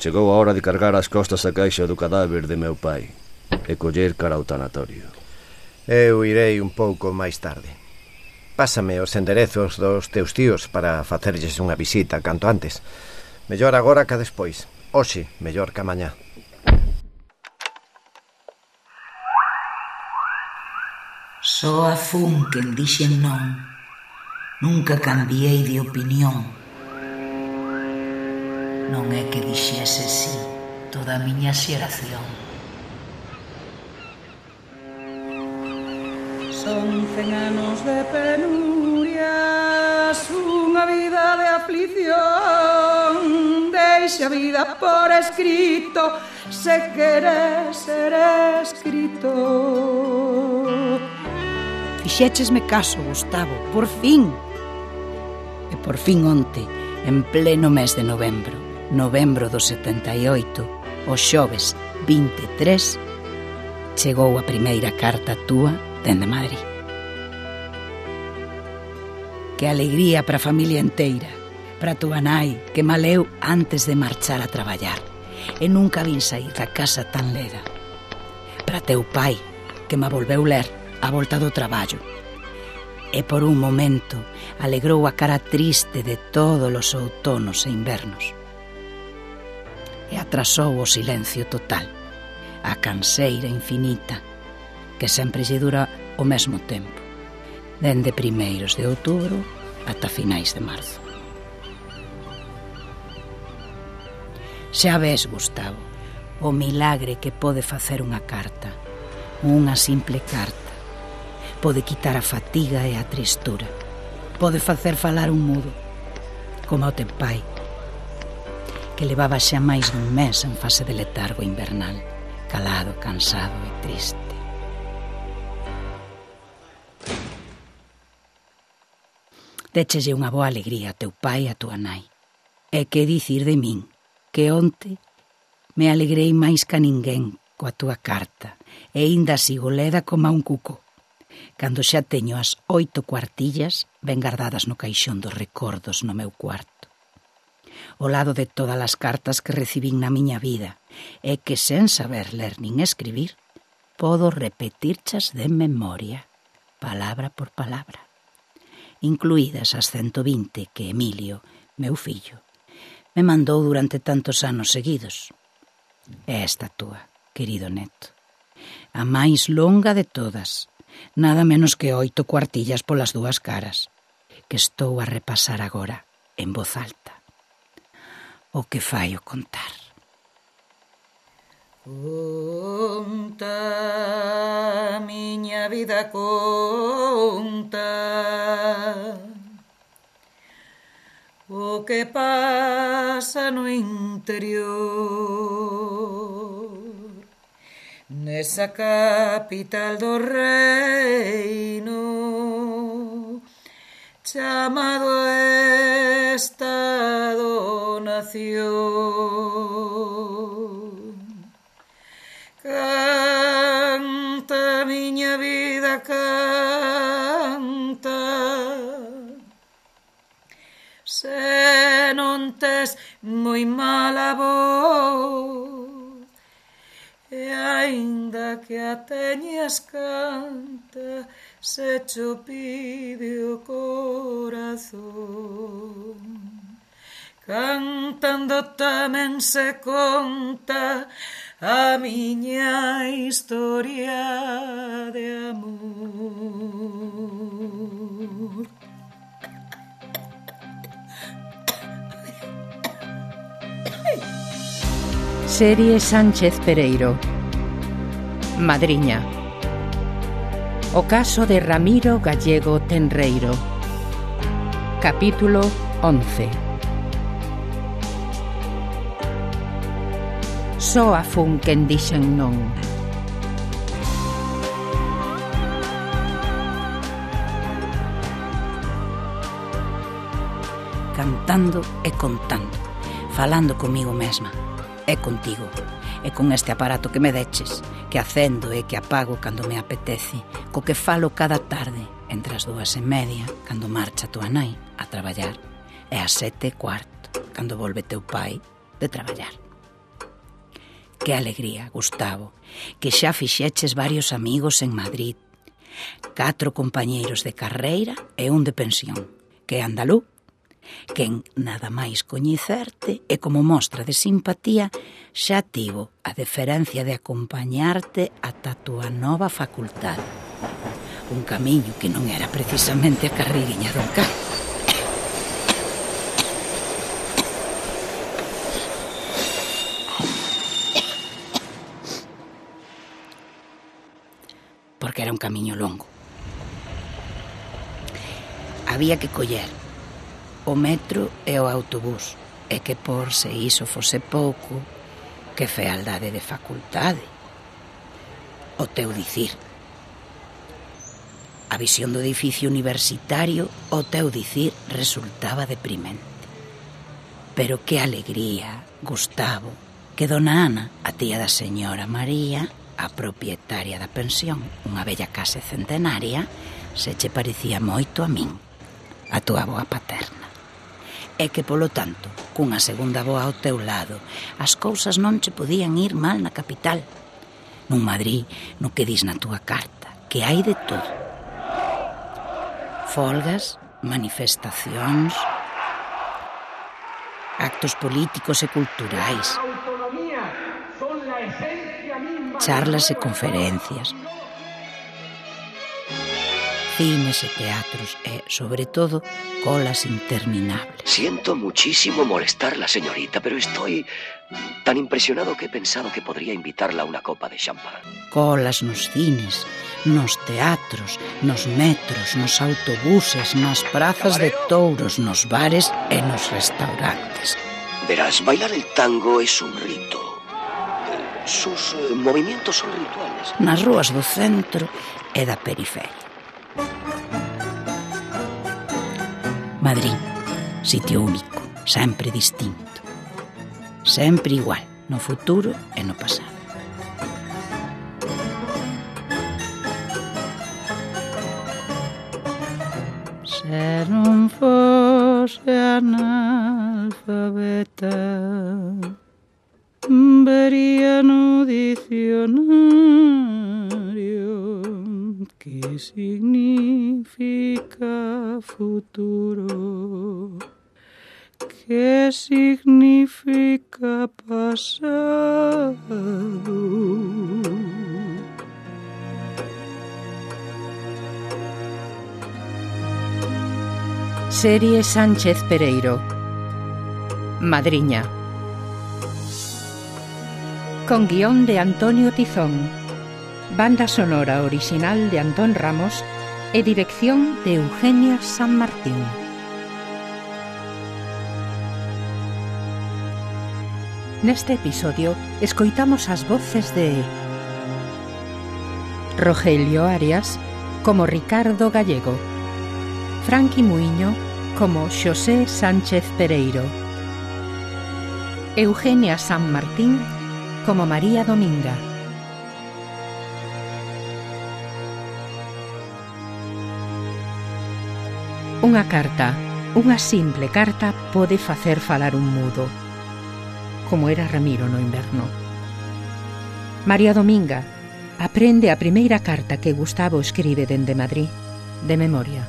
Chegou a hora de cargar as costas a caixa do cadáver de meu pai e coller cara ao tanatorio. Eu irei un pouco máis tarde. Pásame os enderezos dos teus tíos para facerlles unha visita canto antes. Mellor agora que despois. Hoxe, mellor que mañá. Só a fun quen dixen non. Nunca cambiei de opinión. Non é que dixese sí toda a miña xeración. Son 100 anos de penurias, unha vida de aflición. Deixa a vida por escrito, se queres ser escritor. Fixéchesme caso, Gustavo, por fin. E por fin onte, en pleno mes de novembro do 78, o xoves 23, chegou a primeira carta túa dende Madrid. Que alegría para a familia enteira, para túa nai, que maleu antes de marchar a traballar, e nunca vin sair da casa tan leda. Para teu pai, que ma volveu ler a volta do traballo, e por un momento alegrou a cara triste de todos os outonos e invernos. E atrasou o silencio total, a canseira infinita, que sempre lle dura o mesmo tempo, dende primeiros de outubro ata finais de marzo. Xa ves, Gustavo, o milagre que pode facer unha carta, unha simple carta. Pode quitar a fatiga e a tristura, pode facer falar un mudo, como o teu pai, que levaba xa máis dun mes en fase de letargo invernal, calado, cansado e triste. Déchelle unha boa alegría a teu pai e a tua nai. E que dicir de min, que onte me alegrei máis ca ninguén coa túa carta, e inda sigo leda como a un cuco, cando xa teño as 8 cuartillas ben guardadas no caixón dos recordos no meu cuarto. Ao lado de todas as cartas que recibín na miña vida, e que sen saber ler nin escribir, podo repetirchas de memoria, palabra por palabra, incluídas as 120 que Emilio, meu fillo, me mandou durante tantos anos seguidos. E esta túa, querido neto, a máis longa de todas, nada menos que 8 cuartillas polas dúas caras, que estou a repasar agora en voz alta. O que fai o contar. Conta, miña vida, conta o que pasa no interior, nesa capital do reino chamado Estado-nación. Canta, miña vida, canta, se non tes moi mala voz, e aínda que a teñas, canta, se cho pide o corazón. Cantando tamén se conta a miña historia de amor. Serie Sánchez Pereiro. Madriña. O caso de Ramiro Gallego Tenreiro. Capítulo 11. Só a fun quen dixen non. Cantando e contando, falando comigo mesma, e contigo, e con este aparato que me deches, que acendo e que apago cando me apetece, co que falo cada tarde, entre as 2:30, cando marcha tua nai a traballar, e as 7:15, cando volve teu pai de traballar. Que alegría, Gustavo, que xa fixeches varios amigos en Madrid. 4 compañeiros de carreira e un de pensión, que é andalú. Quen nada máis coñecerte e como mostra de simpatía xa tivo a deferencia de acompañarte ata a túa nova facultade. Un camiño que non era precisamente a carreiriña do Cá. Porque era un camiño longo. Había que coller o metro e o autobús, e que por se iso fose pouco, que fealdade de facultade. O teu dicir. A visión do edificio universitario, o teu dicir, resultaba deprimente. Pero que alegría, Gustavo, que dona Ana, a tía da señora María, a propietaria da pensión, unha bella casa centenaria, se che parecía moito a min, a túa avoa paterna. E que, polo tanto, cunha segunda avoa ao teu lado, as cousas non che podían ir mal na capital. Nun Madrid, no que dis na túa carta, que hai de todo. Folgas, manifestacións, actos políticos e culturais, charlas e conferencias, cines e teatros e, sobre todo, colas interminables. Siento muchísimo molestarla, señorita, pero estoy tan impresionado que he pensado que podría invitarla a una copa de champán. Colas nos cines, nos teatros, nos metros, nos autobuses, nas prazas de touros, nos bares e nos restaurantes. Verás, bailar el tango es un rito. Sus movimientos son rituales. Nas rúas do centro e da periferia. Madrid, sitio único, sempre distinto. Sempre igual, no futuro e no pasado. Se non fose analfabeta, vería no dicionario que significa futuro, que significa pasado. Serie Sánchez Pereiro. Madriña. Con guión de Antonio Tizón, banda sonora original de Antón Ramos e dirección de Eugenia San Martín. Neste episodio escoitamos as voces de Rogelio Arias como Ricardo Gallego, Franqui Muiño como Xosé Sánchez Pereiro, Eugenia San Martín como María Dominga. Unha carta, unha simple carta, pode facer falar un mudo, como era Ramiro no inverno. María Dominga aprende a primeira carta que Gustavo escribe dende Madrid, de memoria.